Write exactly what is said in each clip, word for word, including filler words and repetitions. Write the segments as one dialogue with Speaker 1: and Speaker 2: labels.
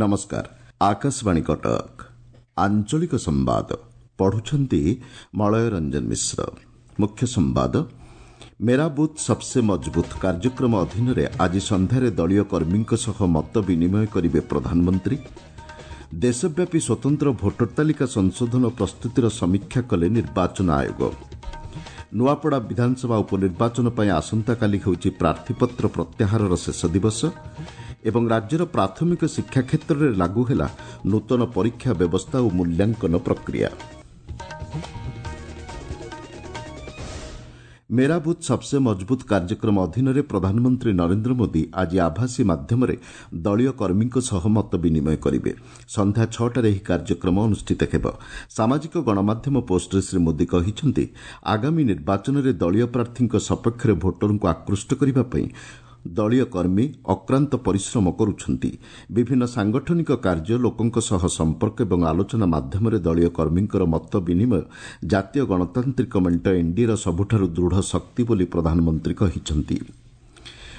Speaker 1: ନମସ୍କାର ଆକାଶବାଣୀ କଟକ ଆଞ୍ଚଳିକ ସମ୍ବାଦ ପଢୁଛନ୍ତି ମଳୟ ରଞ୍ଜନ ମିଶ୍ର ମୁଖ୍ୟ ସମ୍ବାଦ ମେରା ବୁଥ୍ ସବସେ ମଜବୁତ କାର୍ଯ୍ୟକ୍ରମ ଅଧୀନରେ ଆଜି ସନ୍ଧ୍ୟାରେ ଦଳୀୟ କର୍ମୀଙ୍କ ସହ ମତ ବିନିମୟ କରିବେ ପ୍ରଧାନମନ୍ତ୍ରୀ ଦେଶବ୍ୟାପୀ ସ୍ୱତନ୍ତ୍ର ଭୋଟର ତାଲିକା ସଂଶୋଧନ ପ୍ରସ୍ତୁତିର ସମୀକ୍ଷା କଲେ ନିର୍ବାଚନ ଆୟୋଗ ନୂଆପଡ଼ା ବିଧାନସଭା ଉପନିର୍ବାଚନ ପାଇଁ ଆସନ୍ତାକାଲି ହେଉଛି ପ୍ରାର୍ଥୀପତ୍ର ପ୍ରତ୍ୟାହାରର ଶେଷ ଦିବସ ଏବଂ ରାଜ୍ୟର ପ୍ରାଥମିକ ଶିକ୍ଷା କ୍ଷେତ୍ରରେ ଲାଗୁ ହେଲା ନୂତନ ପରୀକ୍ଷା ବ୍ୟବସ୍ଥା ଓ ମୂଲ୍ୟାଙ୍କନ ପ୍ରକ୍ରିୟା ମେରା ବୁଥ୍ ସବସେ ମଜବୁତ କାର୍ଯ୍ୟକ୍ରମ ଅଧୀନରେ ପ୍ରଧାନମନ୍ତ୍ରୀ ନରେନ୍ଦ୍ର ମୋଦି ଆଜି ଆଭାସୀ ମାଧ୍ୟମରେ ଦଳୀୟ କର୍ମୀଙ୍କ ସହ ମତ ବିନିମୟ କରିବେ ସନ୍ଧ୍ୟା ଛଅଟାରେ ଏହି କାର୍ଯ୍ୟକ୍ରମ ଅନୁଷ୍ଠିତ ହେବ ସାମାଜିକ ଗଣମାଧ୍ୟମ ପୋଷ୍ଟରେ ଶ୍ରୀ ମୋଦି କହିଛନ୍ତି ଆଗାମୀ ନିର୍ବାଚନରେ ଦଳୀୟ ପ୍ରାର୍ଥୀଙ୍କ ସପକ୍ଷରେ ଭୋଟରଙ୍କୁ ଆକୃଷ୍ଟ କରିବା ପାଇଁ ଦଳୀୟ କର୍ମୀ ଅକ୍ରାନ୍ତ ପରିଶ୍ରମ କରୁଛନ୍ତି ବିଭିନ୍ନ ସାଂଗଠନିକ କାର୍ଯ୍ୟ ଲୋକଙ୍କ ସହ ସମ୍ପର୍କ ଏବଂ ଆଲୋଚନା ମାଧ୍ୟମରେ ଦଳୀୟ କର୍ମୀଙ୍କର ମତ ବିନିମୟ ଜାତୀୟ ଗଣତାନ୍ତ୍ରିକ ମେଣ୍ଟ ଏନ୍ଡିଏର ସବୁଠାରୁ ଦୃଢ଼ ଶକ୍ତି ବୋଲି ପ୍ରଧାନମନ୍ତ୍ରୀ କହିଛନ୍ତି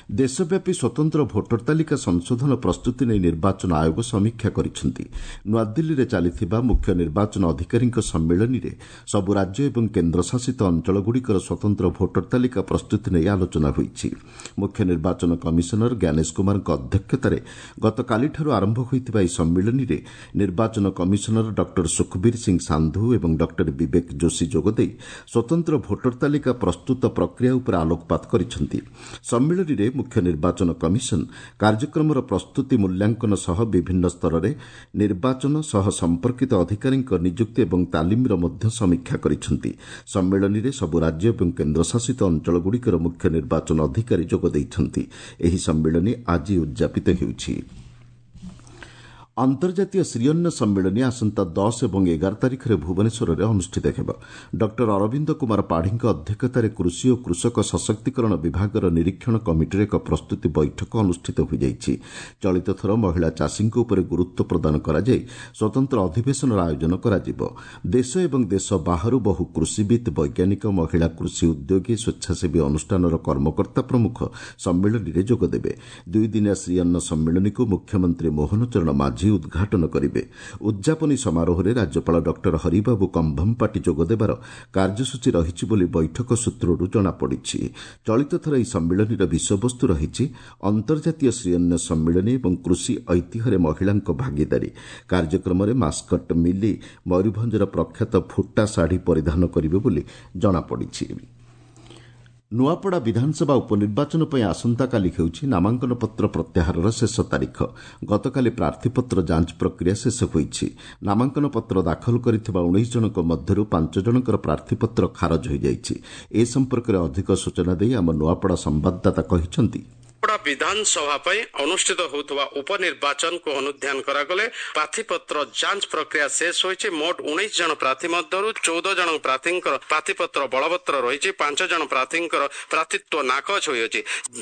Speaker 1: ଦେଶବ୍ୟାପୀ ସ୍ୱତନ୍ତ୍ର ଭୋଟର ତାଲିକା ସଂଶୋଧନ ପ୍ରସ୍ତୁତି ନେଇ ନିର୍ବାଚନ ଆୟୋଗ ସମୀକ୍ଷା କରିଛନ୍ତି ନୂଆଦିଲ୍ଲୀରେ ଚାଲିଥିବା ମୁଖ୍ୟ ନିର୍ବାଚନ ଅଧିକାରୀଙ୍କ ସମ୍ମିଳନୀରେ ସବୁ ରାଜ୍ୟ ଏବଂ କେନ୍ଦ୍ରଶାସିତ ଅଞ୍ଚଳଗୁଡ଼ିକର ସ୍ୱତନ୍ତ୍ର ଭୋଟର ତାଲିକା ପ୍ରସ୍ତୁତି ନେଇ ଆଲୋଚନା ହୋଇଛି ମୁଖ୍ୟ ନିର୍ବାଚନ କମିଶନର ଜ୍ଞାନେଶ କୁମାରଙ୍କ ଅଧ୍ୟକ୍ଷତାରେ ଗତକାଲିଠାରୁ ଆରମ୍ଭ ହୋଇଥିବା ଏହି ସମ୍ମିଳନୀରେ ନିର୍ବାଚନ କମିଶନର ଡକ୍ଟର ସୁଖବୀର ସିଂ ସାନ୍ଧୁ ଏବଂ ଡକ୍ଟର ବିବେକ ଯୋଶୀ ଯୋଗଦେଇ ସ୍ୱତନ୍ତ୍ର ଭୋଟର ତାଲିକା ପ୍ରସ୍ତୁତ ପ୍ରକ୍ରିୟା ଉପରେ ଆଲୋକପାତ କରିଛନ୍ତି ସମ୍ମିଳନୀରେ ମୁଖ୍ୟ ନିର୍ବାଚନ କମିଶନ କାର୍ଯ୍ୟକ୍ରମର ପ୍ରସ୍ତୁତି ମୂଲ୍ୟାଙ୍କନ ସହ ବିଭିନ୍ନ ସ୍ତରରେ ନିର୍ବାଚନ ସହ ସମ୍ପର୍କିତ ଅଧିକାରୀଙ୍କ ନିଯୁକ୍ତି ଏବଂ ତାଲିମର ମଧ୍ୟ ସମୀକ୍ଷା କରିଛନ୍ତି ସମ୍ମିଳନୀରେ ସବୁ ରାଜ୍ୟ ଏବଂ କେନ୍ଦ୍ରଶାସିତ ଅଞ୍ଚଳଗୁଡ଼ିକର ମୁଖ୍ୟ ନିର୍ବାଚନ ଅଧିକାରୀ ଯୋଗ ଦେଇଛନ୍ତି ଏହି ସମ୍ମିଳନୀ ଆଜି ଉଦ୍ଯାପିତ ହେଉଛି ଅନ୍ତର୍ଜାତୀୟ ଶ୍ରୀଅନ୍ନ ସମ୍ମିଳନୀ ଆସନ୍ତା ଦଶ ଏବଂ ଏଗାର ତାରିଖରେ ଭୁବନେଶ୍ୱରରେ ଅନୁଷ୍ଠିତ ହେବ ଡକ୍ଟର ଅରବିନ୍ଦ କୁମାର ପାଢ଼ୀଙ୍କ ଅଧ୍ୟକ୍ଷତାରେ କୃଷି ଓ କୃଷକ ସଶକ୍ତିକରଣ ବିଭାଗର ନିରୀକ୍ଷଣ କମିଟିର ଏକ ପ୍ରସ୍ତୁତି ବୈଠକ ଅନୁଷ୍ଠିତ ହୋଇଯାଇଛି ଚଳିତଥର ମହିଳା ଚାଷୀଙ୍କ ଉପରେ ଗୁରୁତ୍ୱ ପ୍ରଦାନ କରାଯାଇ ସ୍ୱତନ୍ତ୍ର ଅଧିବେଶନର ଆୟୋଜନ କରାଯିବ ଦେଶ ଏବଂ ଦେଶ ବାହାରୁ ବହୁ କୃଷିବିତ୍ ବୈଜ୍ଞାନିକ ମହିଳା କୃଷି ଉଦ୍ୟୋଗୀ ସ୍ୱେଚ୍ଛାସେବୀ ଅନୁଷ୍ଠାନର କର୍ମକର୍ତ୍ତା ପ୍ରମୁଖ ସମ୍ମିଳନୀରେ ଯୋଗଦେବେ ଦୁଇଦିନିଆ ଶ୍ରୀଅନ୍ନ ସମ୍ମିଳନୀକୁ ମୁଖ୍ୟମନ୍ତ୍ରୀ ମୋହନ ଚରଣ ମାଝୀ ଉଦ୍ଘାଟନ କରିବେ ଉଦ୍ଯାପନୀ ସମାରୋହରେ ରାଜ୍ୟପାଳ ଡକ୍ଟର ହରିବାବୁ କମ୍ଭମପାଟି ଯୋଗଦେବାର କାର୍ଯ୍ୟସୂଚୀ ରହିଛି ବୋଲି ବୈଠକ ସୂତ୍ରରୁ ଜଣାପଡ଼ିଛି ଚଳିତଥର ଏହି ସମ୍ମିଳନୀର ବିଷୟବସ୍ତୁ ରହିଛି ଅନ୍ତର୍ଜାତୀୟ ଶ୍ରୀଅନ୍ନ ସମ୍ମିଳନୀ ଏବଂ କୃଷି ଐତିହ୍ୟରେ ମହିଳାଙ୍କ ଭାଗିଦାରୀ କାର୍ଯ୍ୟକ୍ରମରେ ମାସ୍କଟ ମିଲି ମୟୂରଭଞ୍ଜର ପ୍ରଖ୍ୟାତ ଫୁଟା ଶାଢ଼ୀ ପରିଧାନ କରିବେ ବୋଲି ଜଣାପଡ଼ିଛି ନୂଆପଡ଼ା ବିଧାନସଭା ଉପନିର୍ବାଚନ ପାଇଁ ଆସନ୍ତାକାଲି ହେଉଛି ନାମାଙ୍କନପତ୍ର ପ୍ରତ୍ୟାହାରର ଶେଷ ତାରିଖ ଗତକାଲି ପ୍ରାର୍ଥୀପତ୍ର ଯାଞ୍ଚ ପ୍ରକ୍ରିୟା ଶେଷ ହୋଇଛି ନାମାଙ୍କନପତ୍ର ଦାଖଲ କରିଥିବା ଉଣେଇଶ ଜଣଙ୍କ ମଧ୍ୟରୁ ପାଞ୍ଚ ଜଣଙ୍କର ପ୍ରାର୍ଥୀପତ୍ର ଖାରଜ ହୋଇଯାଇଛି ଏ ସମ୍ପର୍କରେ ଅଧିକ ସୂଚନା ଦେଇ ଆମ ନୂଆପଡ଼ା ସମ୍ବାଦଦାତା କହିଛନ୍ତି
Speaker 2: ନୂଆପଡ଼ା ବିଧାନସଭା ପାଇଁ ଅନୁଷ୍ଠିତ ହେଉଥିବା ଉପନିର୍ବାଚନକୁ ଅନୁଧ୍ୟାନ କରାଗଲେ ପ୍ରାର୍ଥୀପତ୍ର ଯାଞ୍ଚ ପ୍ରକ୍ରିୟା ଶେଷ ହୋଇଛି ମୋଟ ଉଣେଇଶ ଜଣ ପ୍ରାର୍ଥୀ ମଧ୍ୟରୁ ଚଉଦ ଜଣ ପ୍ରାର୍ଥୀଙ୍କର ପ୍ରାର୍ଥୀପତ୍ର ବଳବତ୍ତର ରହିଛି ପାଞ୍ଚ ଜଣ ପ୍ରାର୍ଥୀଙ୍କର ପ୍ରାର୍ଥୀତ୍ୱ ନାକଚ ହୋଇଅଛି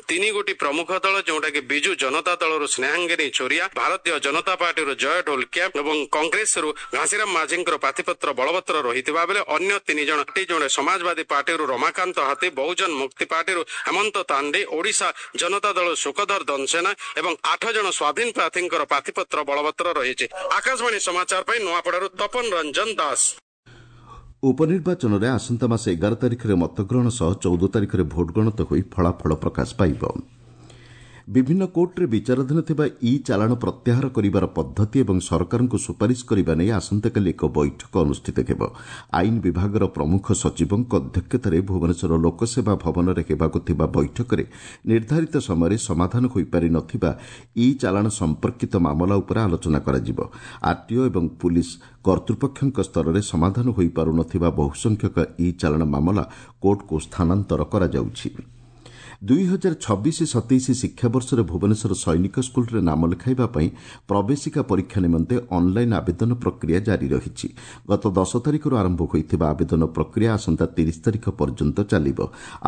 Speaker 2: ତିନି ଗୋଟି ପ୍ରମୁଖ ଦଳ ଯେଉଁଟାକି ବିଜୁ ଜନତା ଦଳରୁ ସ୍ନେହାଙ୍ଗିନୀ ଛୋରିଆ ଭାରତୀୟ ଜନତା ପାର୍ଟିରୁ ଜୟ ଢୋଲକିଆ ଏବଂ କଂଗ୍ରେସରୁ ଘାସିରାମ ମାଝୀଙ୍କର ପ୍ରାର୍ଥୀପତ୍ର ବଳବତ୍ତର ରହିଥିବା ବେଳେ ଅନ୍ୟ ତିନି ଜଣ ଜଣେ ସମାଜବାଦୀ ପାର୍ଟିରୁ ରମାକାନ୍ତ ହାତୀ ବହୁଜନ ମୁକ୍ତି ପାର୍ଟିରୁ ହେମନ୍ତ ତାଣ୍ଡି ଓଡ଼ିଶା ଜନତା ଦଳ ସୁଖଧର ଦନସେନା ଏବଂ ଆଠ ଜଣ ସ୍ୱାଧୀନ ପ୍ରାର୍ଥୀଙ୍କର ପ୍ରାର୍ଥୀପତ୍ର ବଳବତ୍ତର ରହିଛି ଆକାଶବାଣୀ ସମାଚାର ପାଇଁ ନୂଆପଡ଼ାରୁ ତପନ ରଞ୍ଜନ ଦାସ
Speaker 1: ଉପନିର୍ବାଚନରେ ଆସନ୍ତା ମାସ ଏଗାର ତାରିଖରେ ମତଗ୍ରହଣ ସହ ଚଉଦ ତାରିଖରେ ଭୋଟ ଗଣତି ହୋଇ ଫଳାଫଳ ପ୍ରକାଶ ପାଇବ ବିଭିନ୍ନ କୋର୍ଟରେ ବିଚାରାଧୀନ ଥିବା ଇ ଚାଲାଣ ପ୍ରତ୍ୟାହାର କରିବାର ପଦ୍ଧତି ଏବଂ ସରକାରଙ୍କୁ ସୁପାରିଶ କରିବା ନେଇ ଆସନ୍ତାକାଲି ଏକ ବୈଠକ ଅନୁଷ୍ଠିତ ହେବ ଆଇନ ବିଭାଗର ପ୍ରମୁଖ ସଚିବଙ୍କ ଅଧ୍ୟକ୍ଷତାରେ ଭୁବନେଶ୍ୱର ଲୋକସେବା ଭବନରେ ହେବାକୁ ଥିବା ବୈଠକରେ ନିର୍ଦ୍ଧାରିତ ସମୟରେ ସମାଧାନ ହୋଇପାରି ନ ଥିବା ଇ ଚାଲାଣ ସମ୍ପର୍କିତ ମାମଲା ଉପରେ ଆଲୋଚନା କରାଯିବ ଆର୍ଟିଓ ଏବଂ ପୁଲିସ୍ କର୍ତ୍ତୃପକ୍ଷଙ୍କ ସ୍ତରରେ ସମାଧାନ ହୋଇପାରୁ ନ ଥିବା ବହୁସଂଖ୍ୟକ ଇ ଚାଲାଣ ମାମଲା କୋର୍ଟକୁ ସ୍ଥାନାନ୍ତର କରାଯାଉଛି ଦୁଇ ହଜାର ଛବିଶ ସତେଇଶ ଶିକ୍ଷାବର୍ଷରେ ଭୁବନେଶ୍ୱର ସୈନିକ ସ୍କୁଲରେ ନାମ ଲେଖାଇବା ପାଇଁ ପ୍ରବେଶିକା ପରୀକ୍ଷା ନିମନ୍ତେ ଅନ୍ଲାଇନ୍ ଆବେଦନ ପ୍ରକ୍ରିୟା ଜାରି ରହିଛି ଗତ ଦଶ ତାରିଖରୁ ଆରମ୍ଭ ହୋଇଥିବା ଆବେଦନ ପ୍ରକ୍ରିୟା ଆସନ୍ତା ତିରିଶ ତାରିଖ ପର୍ଯ୍ୟନ୍ତ ଚାଲିବ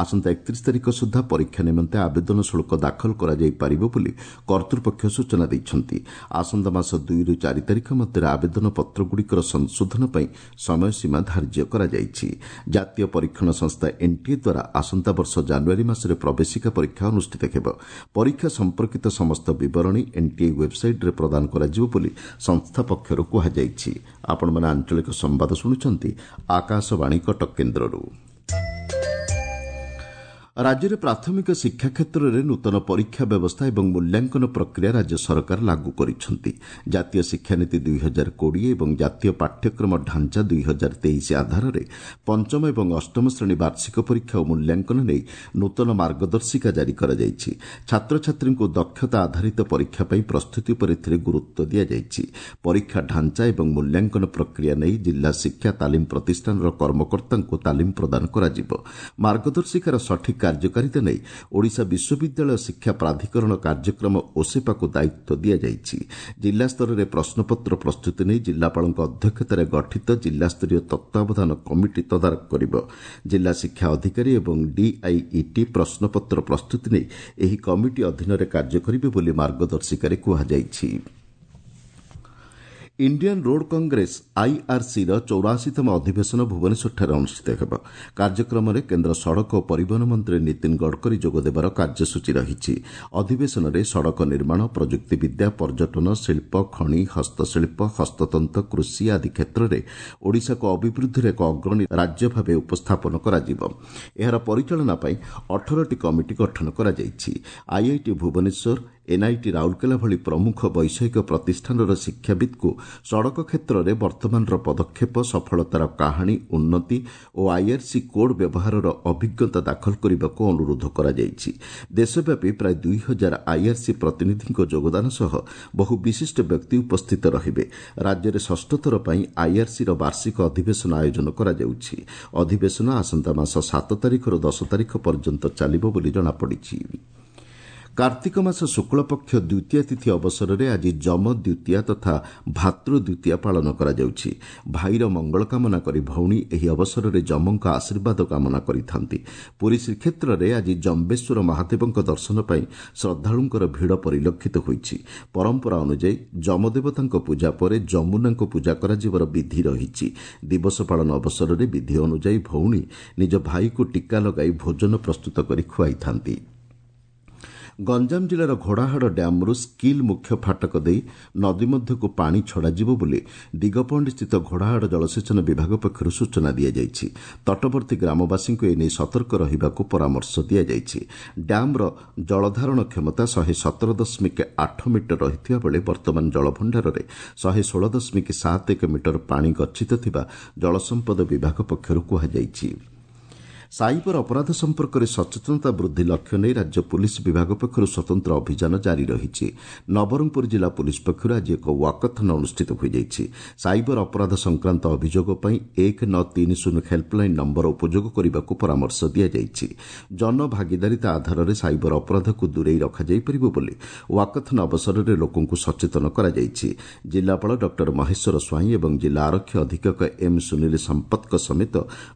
Speaker 1: ଆସନ୍ତା ଏକତିରିଶ ତାରିଖ ସୁଦ୍ଧା ପରୀକ୍ଷା ନିମନ୍ତେ ଆବେଦନ ଶୁଳ୍କ ଦାଖଲ କରାଯାଇପାରିବ ବୋଲି କର୍ତ୍ତୃପକ୍ଷ ସୂଚନା ଦେଇଛନ୍ତି ଆସନ୍ତା ମାସ ଦୁଇରୁ ଚାରି ତାରିଖ ମଧ୍ୟରେ ଆବେଦନ ପତ୍ରଗୁଡ଼ିକର ସଂଶୋଧନ ପାଇଁ ସମୟସୀମା ଧାର୍ଯ୍ୟ କରାଯାଇଛି ଜାତୀୟ ପରୀକ୍ଷଣ ସଂସ୍ଥା ଏନ୍ଟିଏ ଦ୍ୱାରା ଆସନ୍ତା ବର୍ଷ ଜାନୁଆରୀ ମାସରେ ପ୍ରବେଶିକା ପରୀକ୍ଷା ଅନୁଷ୍ଠିତ ହେବ। ପରୀକ୍ଷା ସମ୍ପର୍କିତ ସମସ୍ତ ବିବରଣୀ ଏନ୍ଟିଏ ୱେବ୍ସାଇଟ୍ରେ ପ୍ରଦାନ କରାଯିବ ବୋଲି ସଂସ୍ଥା ପକ୍ଷରୁ କୁହାଯାଇଛି। ଆପଣମାନେ ଆଞ୍ଚଳିକ ସମ୍ବାଦ ଶୁଣୁଛନ୍ତି ଆକାଶବାଣୀ କଟକ କେନ୍ଦ୍ରରୁ। ରାଜ୍ୟରେ ପ୍ରାଥମିକ ଶିକ୍ଷା କ୍ଷେତ୍ରରେ ନୂତନ ପରୀକ୍ଷା ବ୍ୟବସ୍ଥା ଏବଂ ମୂଲ୍ୟାଙ୍କନ ପ୍ରକ୍ରିୟା ରାଜ୍ୟ ସରକାର ଲାଗୁ କରିଛନ୍ତି। ଜାତୀୟ ଶିକ୍ଷାନୀତି ଦୁଇ ହଜାର କୋଡ଼ିଏ ଏବଂ ଜାତୀୟ ପାଠ୍ୟକ୍ରମ ଢାଞ୍ଚା ଦୁଇ ହଜାର ତେଇଶ ଆଧାରରେ ପଞ୍ଚମ ଏବଂ ଅଷ୍ଟମ ଶ୍ରେଣୀ ବାର୍ଷିକ ପରୀକ୍ଷା ଓ ମୂଲ୍ୟାଙ୍କନ ନେଇ ନୂତନ ମାର୍ଗଦର୍ଶିକା ଜାରି କରାଯାଇଛି। ଛାତ୍ରଛାତ୍ରୀଙ୍କୁ ଦକ୍ଷତା ଆଧାରିତ ପରୀକ୍ଷା ପାଇଁ ପ୍ରସ୍ତୁତି ଉପରେ ଏଥିରେ ଗୁରୁତ୍ୱ ଦିଆଯାଇଛି। ପରୀକ୍ଷା ଢାଞ୍ଚା ଏବଂ ମୂଲ୍ୟାଙ୍କନ ପ୍ରକ୍ରିୟା ନେଇ ଜିଲ୍ଲା ଶିକ୍ଷା ତାଲିମ ପ୍ରତିଷ୍ଠାନର କର୍ମକର୍ତ୍ତାଙ୍କୁ ତାଲିମ ପ୍ରଦାନ କରାଯିବ। ମାର୍ଗଦର୍ଶିକାର ସଠିକ୍ କାର୍ଯ୍ୟକାରିତା ନେଇ ଓଡ଼ିଶା ବିଶ୍ୱବିଦ୍ୟାଳୟ ଶିକ୍ଷା ପ୍ରାଧିକରଣ କାର୍ଯ୍ୟକ୍ରମ ଓସେପାକୁ ଦାୟିତ୍ୱ ଦିଆଯାଇଛି। ଜିଲ୍ଲାସ୍ତରରେ ପ୍ରଶ୍ନପତ୍ର ପ୍ରସ୍ତୁତି ନେଇ ଜିଲ୍ଲାପାଳଙ୍କ ଅଧ୍ୟକ୍ଷତାରେ ଗଠିତ ଜିଲ୍ଲାସ୍ତରୀୟ ତତ୍ତ୍ୱାବଧାନ କମିଟି ତଦାରଖ କରିବ। ଜିଲ୍ଲା ଶିକ୍ଷା ଅଧିକାରୀ ଏବଂ ଡିଆଇଇଟି ପ୍ରଶ୍ନପତ୍ର ପ୍ରସ୍ତୁତି ନେଇ ଏହି କମିଟି ଅଧୀନରେ କାର୍ଯ୍ୟ କରିବେ ବୋଲି ମାର୍ଗଦର୍ଶିକାରେ କୁହାଯାଇଛି। ଇଣ୍ଡିଆନ୍ ରୋଡ୍ କଂଗ୍ରେସ ଆଇଆର୍ସିର ଚଉରାଅଶୀତମ ଅଧିବେଶନ ଭୁବନେଶ୍ୱରଠାରେ ଅନୁଷ୍ଠିତ ହେବ। କାର୍ଯ୍ୟକ୍ରମରେ କେନ୍ଦ୍ର ସଡ଼କ ଓ ପରିବହନ ମନ୍ତ୍ରୀ ନୀତିନ ଗଡ଼କରୀ ଯୋଗଦେବାର କାର୍ଯ୍ୟସୂଚୀ ରହିଛି। ଅଧିବେଶନରେ ସଡ଼କ ନିର୍ମାଣ, ପ୍ରଯୁକ୍ତିବିଦ୍ୟା, ପର୍ଯ୍ୟଟନ, ଶିଳ୍ପ, ଖଣି, ହସ୍ତଶିଳ୍ପ, ହସ୍ତତନ୍ତ, କୃଷି ଆଦି କ୍ଷେତ୍ରରେ ଓଡ଼ିଶାକୁ ଅଭିବୃଦ୍ଧିର ଏକ ଅଗ୍ରଣୀ ରାଜ୍ୟ ଭାବେ ଉପସ୍ଥାପନ କରାଯିବ। ଏହାର ପରିଚାଳନା ପାଇଁ ଅଠରଟି କମିଟି ଗଠନ କରାଯାଇଛି। ଆଇଆଇଟି ଭୁବନେଶ୍ୱର, ଏନ୍ଆଇଟି ରାଉରକେଲା ଭଳି ପ୍ରମୁଖ ବୈଷୟିକ ପ୍ରତିଷ୍ଠାନର ଶିକ୍ଷାବିତ୍ଙ୍କୁ ସଡ଼କ କ୍ଷେତ୍ରରେ ବର୍ତ୍ତମାନର ପଦକ୍ଷେପ, ସଫଳତାର କାହାଣୀ, ଉନ୍ନତି ଓ ଆଇଆର୍ସି କୋଡ୍ ବ୍ୟବହାରର ଅଭିଜ୍ଞତା ଦାଖଲ କରିବାକୁ ଅନୁରୋଧ କରାଯାଇଛି। ଦେଶବ୍ୟାପୀ ପ୍ରାୟ ଦୁଇ ହଜାର ଆଇଆର୍ସି ପ୍ରତିନିଧିଙ୍କ ଯୋଗଦାନ ସହ ବହୁ ବିଶିଷ୍ଟ ବ୍ୟକ୍ତି ଉପସ୍ଥିତ ରହିବେ। ରାଜ୍ୟରେ ଷଷ୍ଠଥର ପାଇଁ ଆଇଆର୍ସିର ବାର୍ଷିକ ଅଧିବେଶନ ଆୟୋଜନ କରାଯାଉଛି। ଅଧିବେଶନ ଆସନ୍ତା ମାସ ସାତ ତାରିଖରୁ ଦଶ ତାରିଖ ପର୍ଯ୍ୟନ୍ତ ଚାଲିବ ବୋଲି ଜଣାପଡ଼ିଛି। କାର୍ତ୍ତିକ ମାସ ଶୁକ୍ଳପକ୍ଷ ଦ୍ୱିତୀୟା ତିଥି ଅବସରରେ ଆଜି ଯମ ଦ୍ୱିତୀୟା ତଥା ଭାତୃ ଦ୍ୱିତୀୟା ପାଳନ କରାଯାଉଛି। ଭାଇର ମଙ୍ଗଳ କାମନା କରି ଭଉଣୀ ଏହି ଅବସରରେ ଯମଙ୍କ ଆଶୀର୍ବାଦ କାମନା କରିଥାନ୍ତି। ପୁରୀ ଶ୍ରୀକ୍ଷେତ୍ରରେ ଆଜି ଜମ୍ବେଶ୍ୱର ମହାଦେବଙ୍କ ଦର୍ଶନ ପାଇଁ ଶ୍ରଦ୍ଧାଳୁଙ୍କର ଭିଡ଼ ପରିଲକ୍ଷିତ ହୋଇଛି। ପରମ୍ପରା ଅନୁଯାୟୀ ଯମଦେବତାଙ୍କ ପୂଜା ପରେ ଯମୁନାଙ୍କୁ ପୂଜା କରାଯିବାର ବିଧି ରହିଛି। ଦିବସ ପାଳନ ଅବସରରେ ବିଧି ଅନୁଯାୟୀ ଭଉଣୀ ନିଜ ଭାଇକୁ ଟୀକା ଲଗାଇ ଭୋଜନ ପ୍ରସ୍ତୁତ କରି ଖୁଆଇଥାନ୍ତି। ଗଞ୍ଜାମ ଜିଲ୍ଲାର ଘୋଡ଼ାହାଡ଼ ଡ୍ୟାମ୍ରୁ ସ୍କିଲ୍ ମୁଖ୍ୟ ଫାଟକ ଦେଇ ନଦୀ ମଧ୍ୟକୁ ପାଣି ଛଡ଼ାଯିବ ବୋଲି ଦିଗପହଣ୍ଡିସ୍ଥିତ ଘୋଡ଼ାହାଡ଼ ଜଳସେଚନ ବିଭାଗ ପକ୍ଷରୁ ସୂଚନା ଦିଆଯାଇଛି। ତଟବର୍ତ୍ତୀ ଗ୍ରାମବାସୀଙ୍କୁ ଏନେଇ ସତର୍କ ରହିବାକୁ ପରାମର୍ଶ ଦିଆଯାଇଛି। ଡ୍ୟାମ୍ର ଜଳଧାରଣ କ୍ଷମତା ଶହେ ସତର ଦଶମିକ ଆଠ ମିଟର ରହିଥିବା ବେଳେ ବର୍ତ୍ତମାନ ଜଳଭଣ୍ଡାରରେ ଶହେ ଷୋହଳ ଦଶମିକ ସାତ ଏକ ମିଟର ପାଣି ଗଚ୍ଛିତ ଥିବା ଜଳସମ୍ପଦ ବିଭାଗ ପକ୍ଷରୁ କୁହାଯାଇଛି। ସାଇବର ଅପରାଧ ସମ୍ପର୍କରେ ସଚେତନତା ବୃଦ୍ଧି ଲକ୍ଷ୍ୟ ନେଇ ରାଜ୍ୟ ପୁଲିସ୍ ବିଭାଗ ପକ୍ଷରୁ ସ୍ୱତନ୍ତ୍ର ଅଭିଯାନ ଜାରି ରହିଛି। ନବରଙ୍ଗପୁର ଜିଲ୍ଲା ପୁଲିସ୍ ପକ୍ଷରୁ ଆଜି ଏକ ୱାକାଥନ୍ ଅନୁଷ୍ଠିତ ହୋଇଯାଇଛି। ସାଇବର ଅପରାଧ ସଂକ୍ରାନ୍ତ ଅଭିଯୋଗ ପାଇଁ ଏକ ନଅ ତିନି ଶୂନ ହେଲ୍ପଲାଇନ୍ ନମ୍ବର ଉପଯୋଗ କରିବାକୁ ପରାମର୍ଶ ଦିଆଯାଇଛି। ଜନଭାଗିଦାରିତା ଆଧାରରେ ସାଇବର ଅପରାଧକୁ ଦୂରେଇ ରଖାଯାଇପାରିବ ବୋଲି ୱାକାଥନ୍ ଅବସରରେ ଲୋକଙ୍କୁ ସଚେତନ କରାଯାଇଛି। ଜିଲ୍ଲାପାଳ ଡକ୍ଟର ମହେଶ୍ୱର ସ୍ୱାଇଁ ଏବଂ ଜିଲ୍ଲା ଆରକ୍ଷୀ ଅଧୀକ୍ଷକ ଏମ୍ ସୁନୀଲ ସମ୍ପତଙ୍କ ସମେତ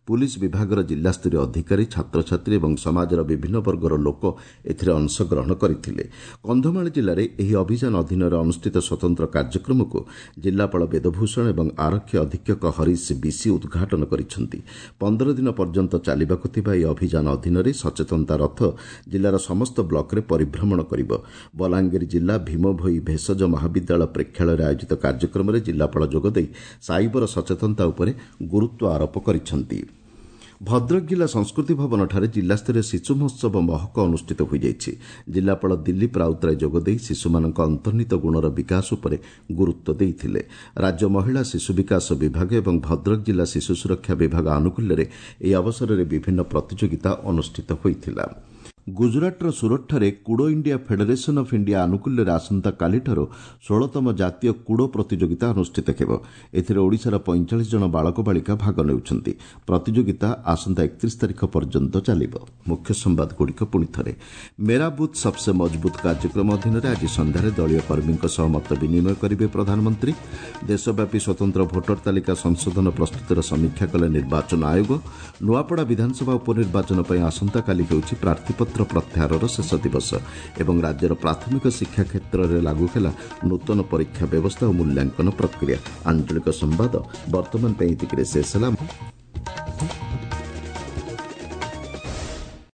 Speaker 1: ପୁଲିସ୍ ବିଭାଗର ଜିଲ୍ଲାସ୍ତରୀୟ ଅଧିକାରୀ, ଛାତ୍ରଛାତ୍ରୀ ଏବଂ ସମାଜର ବିଭିନ୍ନ ବର୍ଗର ଲୋକ ଏଥିରେ ଅଂଶଗ୍ରହଣ କରିଥିଲେ। କନ୍ଧମାଳ ଜିଲ୍ଲାରେ ଏହି ଅଭିଯାନ ଅଧୀନରେ ଅନୁଷ୍ଠିତ ସ୍ୱତନ୍ତ୍ର କାର୍ଯ୍ୟକ୍ରମକୁ ଜିଲ୍ଲାପାଳ ବେଦଭୂଷଣ ଏବଂ ଆରକ୍ଷୀ ଅଧୀକ୍ଷକ ହରିଶ ବିଶି ଉଦ୍ଘାଟନ କରିଛନ୍ତି। ପନ୍ଦର ଦିନ ପର୍ଯ୍ୟନ୍ତ ଚାଲିବାକୁ ଥିବା ଏହି ଅଭିଯାନ ଅଧୀନରେ ସଚେତନତା ରଥ ଜିଲ୍ଲାର ସମସ୍ତ ବ୍ଲକରେ ପରିଭ୍ରମଣ କରିବ। ବଲାଙ୍ଗୀର ଜିଲ୍ଲା ଭୀମଭୋଇ ଭେଷଜ ମହାବିଦ୍ୟାଳୟ ପ୍ରେକ୍ଷାଳୟରେ ଆୟୋଜିତ କାର୍ଯ୍ୟକ୍ରମରେ ଜିଲ୍ଲାପାଳ ଯୋଗଦେଇ ସାଇବର ସଚେତନତା ଉପରେ ଗୁରୁତ୍ୱ ଆରୋପ କରିଛନ୍ତି। ଭଦ୍ରକ ଜିଲ୍ଲା ସଂସ୍କୃତି ଭବନଠାରେ ଜିଲ୍ଲାସ୍ତରୀୟ ଶିଶୁ ମହୋତ୍ସବ ମହକ ଅନୁଷ୍ଠିତ ହୋଇଯାଇଛି। ଜିଲ୍ଲାପାଳ ଦିଲ୍ଲୀପ ରାଉତରାୟ ଯୋଗଦେଇ ଶିଶୁମାନଙ୍କ ଅନ୍ତର୍ନିହିତ ଗୁଣର ବିକାଶ ଉପରେ ଗୁରୁତ୍ୱ ଦେଇଥିଲେ। ରାଜ୍ୟ ମହିଳା ଶିଶୁ ବିକାଶ ବିଭାଗ ଏବଂ ଭଦ୍ରକ ଜିଲ୍ଲା ଶିଶୁ ସୁରକ୍ଷା ବିଭାଗ ଆନୁକୂଲ୍ୟରେ ଏହି ଅବସରରେ ବିଭିନ୍ନ ପ୍ରତିଯୋଗିତା ଅନୁଷ୍ଠିତ ହୋଇଥିଲା। ଗୁଜରାଟର ସୁରତଠାରେ Kudo India federation of India ଆନୁକୂଲ୍ୟରେ ଆସନ୍ତାକାଲିଠାରୁ ଷୋହଳତମ ଜାତୀୟ କୁଡ଼ୋ ପ୍ରତିଯୋଗିତା ଅନୁଷ୍ଠିତ ହେବ। ଏଥିରେ ଓଡ଼ିଶାର ପଇଁଚାଳିଶ ଜଣ ବାଳକ ବାଳିକା ଭାଗ ନେଉଛନ୍ତି। ପ୍ରତିଯୋଗିତା ଆସନ୍ତା ଏକତିରିଶ ତାରିଖ ପର୍ଯ୍ୟନ୍ତ ଚାଲିବ। ମୁଖ୍ୟ ସମ୍ବାଦଗୁଡ଼ିକ ପୁଣି ଥରେ। ମେରା ବୁଥ୍ ସବସେ ମଜବୁତ କାର୍ଯ୍ୟକ୍ରମ ଅଧୀନରେ ଆଜି ସନ୍ଧ୍ୟାରେ ଦଳୀୟ କର୍ମୀଙ୍କ ସହ ମତ ବିନିମୟ କରିବେ ପ୍ରଧାନମନ୍ତ୍ରୀ। ଦେଶବ୍ୟାପୀ ସ୍ୱତନ୍ତ୍ର ଭୋଟର ତାଲିକା ସଂଶୋଧନ ପ୍ରସ୍ତୁତିର ସମୀକ୍ଷା କଲେ ନିର୍ବାଚନ ଆୟୋଗ। ନୂଆପଡ଼ା ବିଧାନସଭା ଉପନିର୍ବାଚନ ପାଇଁ ଆସନ୍ତାକାଲି ହେଉଛି ପ୍ରାର୍ଥୀପତ୍ର ପ୍ରତ୍ୟାହାରର ଶେଷ ଦିବସ। ଏବଂ ରାଜ୍ୟର ପ୍ରାଥମିକ ଶିକ୍ଷା କ୍ଷେତ୍ରରେ ଲାଗୁ ହେଲା ନୂତନ ପରୀକ୍ଷା ବ୍ୟବସ୍ଥା ଓ ମୂଲ୍ୟାଙ୍କନ ପ୍ରକ୍ରିୟା। ଆଞ୍ଚଳିକ ସମ୍ବାଦ ବର୍ତ୍ତମାନ ପାଇଁ ଏତିକିରେ ଶେଷ ହେଲା।